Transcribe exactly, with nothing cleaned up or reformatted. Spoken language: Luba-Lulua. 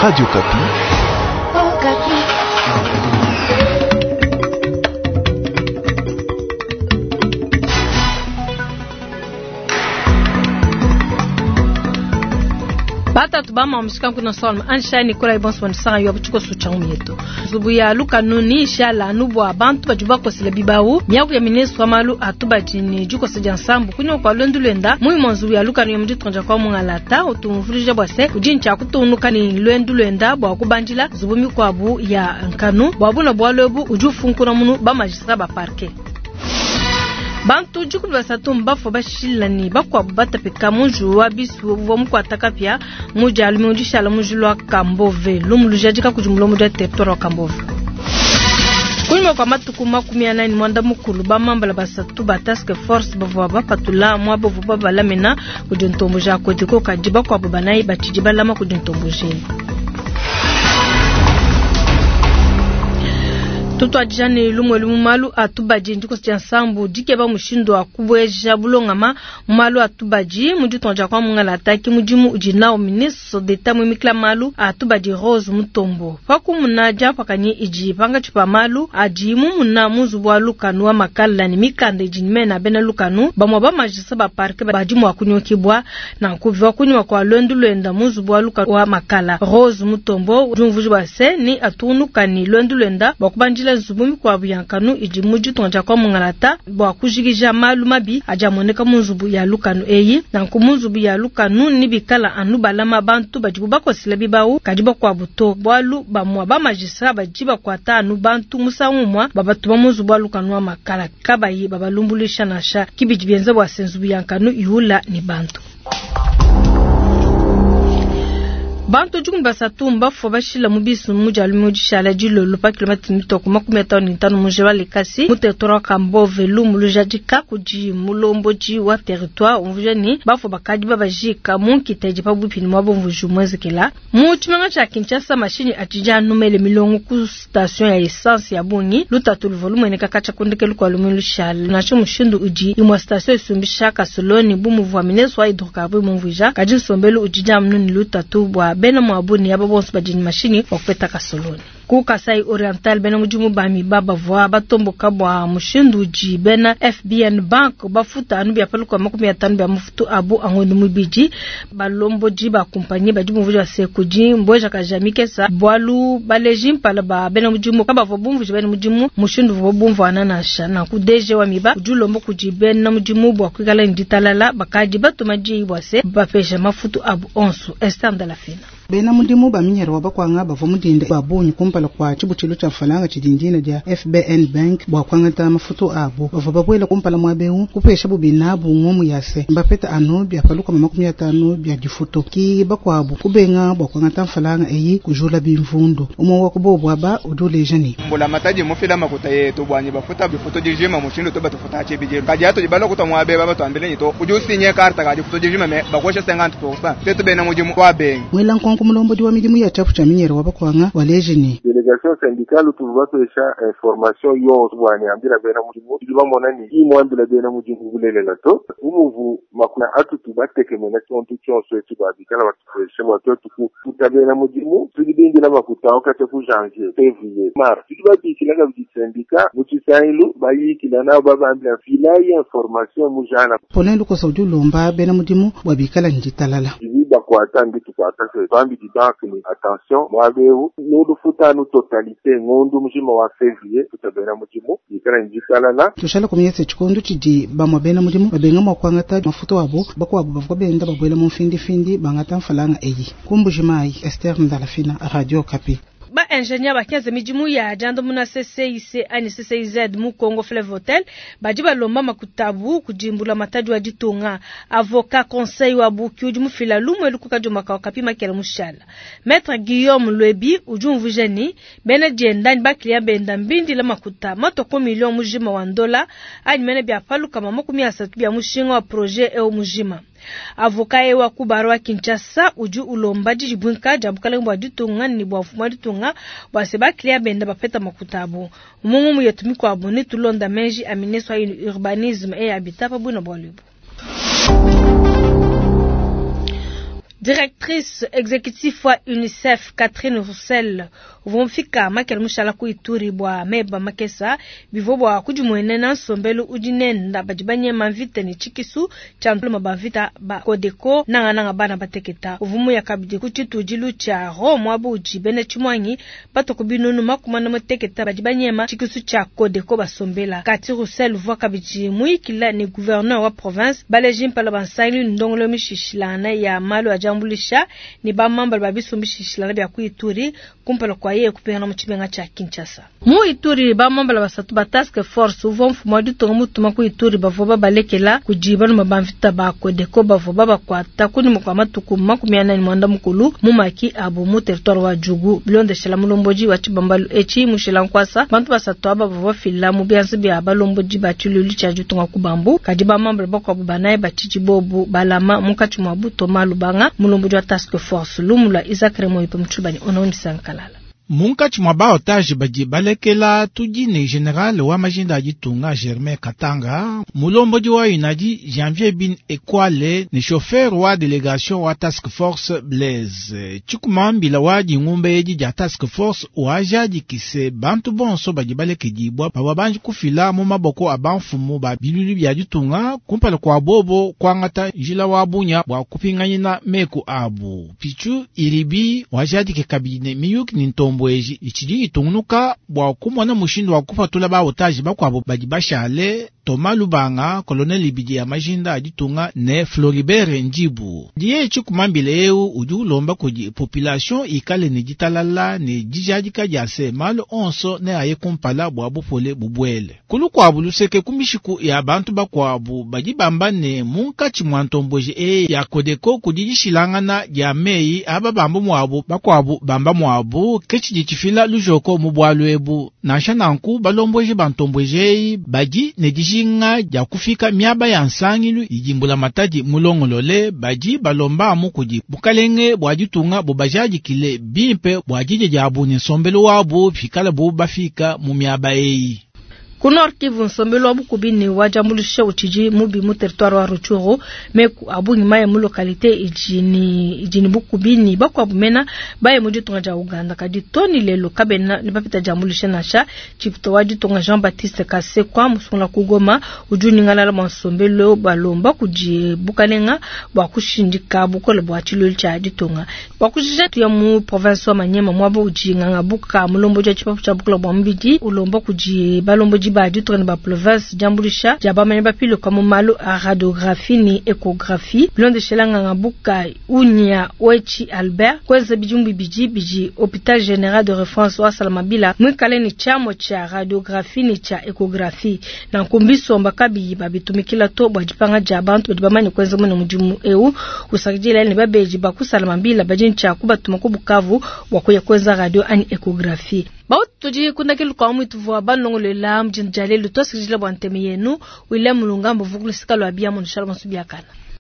Radio Okapi. Okapi. Batatu bama mshika kuna solma ansha Nicolas Ibonso wanisanga yo buchiko sucha umyeto zubu ya luka nuni shala anubwa abantu bajuba kosela bibawu miaku ya ministre wa malu atubajini juko seja nsambu kunyo kwa lwendu lwenda muyi nzubu ya luka niyo mjitonja kwa mungalata utumvulije bwase ujincha kutunuka ni lwendu lwenda bwa kubanjila zubu mikwabu ya nkanu bwabuna bwalwebu ujufunkuna munu ba magistrat ba parquet Bantu jukulu basatu mbafo bashilani bakwabu batapika munju wa bisu wa mukwata kapya muja alumi ujishala munju lwa Kambove lumulujajika kujumulo muja territoire wa Kambove. Kunyuma kwa matuku makumi anani mwanda mukulu bamambala basatu ba task force bavua bapatula mwa bovu babalamena kudi ntombo ja kodiko kadi bakwabu banayi batshidi balama kudi ntombo jeni. Tutwadijane lumwe lumu malu atubaji ndiko sia nsambu dikeba mushindo akubweja bulongama malu atubaji muditonja kwa mungala ataki mudimu udi nao ministre d'État mwimikla malu atubaji Rose Mutombo pakumuna japakanyi iji panga chipa malu adi mumuna muzubu wa lukanu wa makala ni mikanda iji nimena bena lukanu bamwa ba majisa ba parke badi mwa kunyokibwa na kuviwa kunywa kwa lwendu lwenda muzubu wa lukanu wa makala Rose Mutombo jumvuji wa se ni atunuka ni lwendu lwenda bakubanjila zubu mikwabu ya nkanu idi muditonja kwa mungalata bwa kujikija malu mabi ajamoneka munzubu ya lukanu eyi nanku munzubu ya lukanu ni bikala anu balama bantu badibu bakosela bibawu kadi bakwabu to bwalu bamwa ba magistrat badi bakwata anu bantu musangu mwa babatuma munzubu wa lukanu wa makala kabayi babalumbulisha nasha kibidi bienza bwa senzubu ya nkanu yula ni bantu. Bantu jukuni basatu mbafo bashila mubisu muja lumujishala jilolo pa kilomita mitoko makumi atano ni tano mujeba likasi mu territoire wa Kambove lumulujadika kudi mulomboji wa territoire umvuja ni bafo bakadi babajika munkiteji pabupi ni mwabo mvuju mwezekela mu tshimanga tshia Kinshasa mashini atija numele milongo ku station ya essence ya bungi lutatu luvo lumueneka kacha kundekelu kwa lumulushala nacho mushindu uji imwa station isumbisha kasoloni bumuvu ministre wa hydrocarbures mumvuja kadi nsombelu ujija mnuni lutatu bwa bena mwabuni yaba bonso badini mashini wakupeta kasoloni. Ku Kasai Oriental bena mudimu bami baba voa batomboka bwa mushindu uji bena F B N Bank bafuta anu bya paluka makumi atano bya mufutu abu angondo mubiji balomboji ba kompanye badi mumvuji wa sekuji mbweja kaja mikesa bwalu baleji mpala ba bena mudimu kaba vo bumvuji bena mudimu mushindu vo bumvu ananasha na ku D G wa miba ujulombo kuji bena mudimu bwa kwikala nditalala bakaji batuma ji bwase bapesha mafutu abu onsu Esther Ndalafina. Bena mudimu ba minyere wa bakwanga bava mudinda ba bunyi kumpala kwa chibuchilo cha falanga chidindina dia F B N Bank bwa kwangata mafutu abo bava babwela kumpala mwa beu kupesha bubina bungomu yase mbapeta anu bya paluka makumi atano bya difuto ki bakwabo kubenga bwa kwangata falanga eyi kujula bimvundu umo wa kubobwa ba uduleje ni mbola mataji mufila makuta yetu bwanyi bafuta bifuto dijima mushindo to batufuta chebije kajato jibalo kutamwa be baba tuambele to ujusinye karta kaji futo dijima me bakosha cinquante pour cent tetu bena mudimu wa bengi mwela nkonko mulombo wa midimu ya chafu cha minyere wa bakwanga waleje ni delegation syndicale tuvatesha information yonso bwani ambira bena mudimu bamona ni imwambila bena mudimu bulelela to umuvu makuna atutu batekemena tontu tshonso etu babikala batufeshe bwatu tukuta bena mudimu tulibindila makuta okate ku janvier février mars tulibabikila kabidi syndicat mu tshisailu bayikila nabo babambila filayi information mujana Polin Lukosa udi ulomba bena mudimu bwabikala nditalala bakwata nditu kwata se bambi di banque ni attention mwabewu nulufuta nu totalité ngondu mujima wa février tutabena mudimu ikala nditalala tushala kumyese chikundu chidi bamwa bena mudimu babenga mwa kwangata mafuto wabo bakwabo bavwa benda babwela mu mfindi findi bangata mfalanga eyi kumbujimayi Esther Ndalafina Radio Okapi. Ba ingénieur ba quinze midimu ya jando muna C C I C ani C C I Z mu Congo Fleuve Hotel badi balomba makutabu kujimbula matadi wa ditonga avocat conseil wa buki udi mufila lumwe lukuka jomaka okapi makela mushala Maître Guillaume Lwebi udi umvujeni bena dienda ni baklia benda mbindi la makuta matoko million mujima wa ndola ani mene bya paluka makumi asatu bya mushinga wa projet eo mujima Avocat ewa kubarwa Kinshasa udi ulomba dijibwinka dia bukalenge bua ditunga ni bua mfumu wa ditunga bua se baklia benda bapeta makuta abo. Mungu muyetu mikuabo ni tulonda menji a ministre wa urbanisme et habitat pa bwina bua lubu. Directrice exécutive wa UNICEF Catherine Russell uvua mufika makele mushala ku Ituri bua meba makesa bivua bua kudimuenena nsombelu udi nenda badi banyema mvita ne tshikisu tshia ntuluma ba mvita ba Codeco nangananga bana bateketa. Uvua muya kabidi ku tshitudilu tshia Rome muaba udi bena tshimuangi batua ku binunu makumi anda muteketa badi banyema tshikisu tshia Codeco basombela. Cathy Russell uvua kabidi muyikila ne gouverneur wa province baleji mpala ba nsangilu ne ndongoluelu mishishilangana ya malu a diambuluisha ne bamambala ba bisumbu bishishilangana bia ku Ituri kumpala kwa yeye kupingana mu tshimenga tshia Kinshasa. Mu Ituri bamambala basatu ba task force uvua mfumu wa ditunga mutuma ku Ituri bavua babalekela kudi banuma ba mvita ba Codeco bavua babakuata kunyima kua matuku makumi anayi ne muanda mukulu mu maki abu mu territoire wa Djugu. Bilondeshela mulombodi wa tshibambalu etshi Mushila Nkwasa, bantu basatu aba bavua bafila mu bianza bia balombodi ba tshilulu tshia ditunga ku Bambu, kadi bamambala bakuabu banayi batshidi bobu balama munkatshi mua buto Malubanga mulombodi wa task force. Lumu lua Isaac Remoyope Mutshibani ono Misankalala. Munkatshi mua baotaje badi balekela tudi ne general wa majinda a ditunga Germain Katanga, mulombodi wa UNADI Janvier Bin Ekwale ne chauffeur wa delegation wa task force Blaise. Tshikumambila wa dingumba edi dia task force wajadikise bantu bonso badi balekedibwa bavua banji kufila mu maboko a bamfumu ba bilulu bia ditunga kumpala kua bobo kuangata njila wa bunya bua kupinganyina meku abu. Pichu iribi wajadike kabidi ne miyuki ne ntombo eji itshidi itungunuka bua kumona mushindu wa kupatula baotaje bakuabu badi bashale Thomas Lubanga, colonel ibidi ya majinda a ditunga ne Floribert Ndibu. Diye tshikumambile eu udi ulomba kudi population ikale ne ditalala ne dijadika dia se malu onso ne aye kumpala bua bupole bubwele. Kulu kuabu luseke ku mishiku ya bantu bakuabu badi bamba ne munkatshi mua ntomboji eyi ya Codeco kudi dishilangana dia meyi aba bamba muabu bakuabu bamba muabu ke tshidi tshifila lujoko mu bualu ebu. Nansha nanku balomboji ba ntomboji eyi badi ne dijinga dia kufika miaba ya nsangilu idi mbulamatadi mulongolole badi balomba amu kudi bukalenge bua ditunga bubajadikile bimpe bua didie diabu ne nsombelu wabu pikala bu bafika mu miaba eyi. Ku Nord Kivu nsombelu wa bukubi ne wa diambuluisha utshidi mubi mu territoire wa Rutshuru meku abungi maye mu localité idi ne idi ne bukubi ne bakuabu mena baye mu ditunga dia Uganda kadi toni lelo kabena ne bapita diambuluisha nansha. Tshipito wa ditunga Jean Baptiste Kasekwa musungula ku Goma udi unyingalala bua nsombelu balomba kudi bukalenga bua kushindika bukole bua tshilulu tshia ditunga. Bua kujija tuya mu province wa Maniema muaba udi nganga buka mulombodi wa tshipapu tshia bukole bua mubidi ulomba kudi balombodi ba ditunga ne ba province diambuluisha dia bamanyi bapiluka mu malu a radiographie ne échographie. Bilondeshela nganga buka Unya Wechi Albert kwenza bidimu bibidi bidi hôpital général de référence wa Salamabila mwikale ne tshiamua tshia radiographie ne tshia échographie na nkumbi somba kabiyi babitumikila to bua dipanga dia bantu badi bamanye kwenza mwene mudimu eu usakidila ne babeji ba ku Salamabila badi ntshia kubatuma ku Bukavu bua kuya kwenza radio ani échographie. Bautu tudi kundakelu kwa mwitu vua banongolela mjini jalelu tosikijila bua nteme yenu William Mulunga mbuvukulusika lwa bia mu shalom subiakana.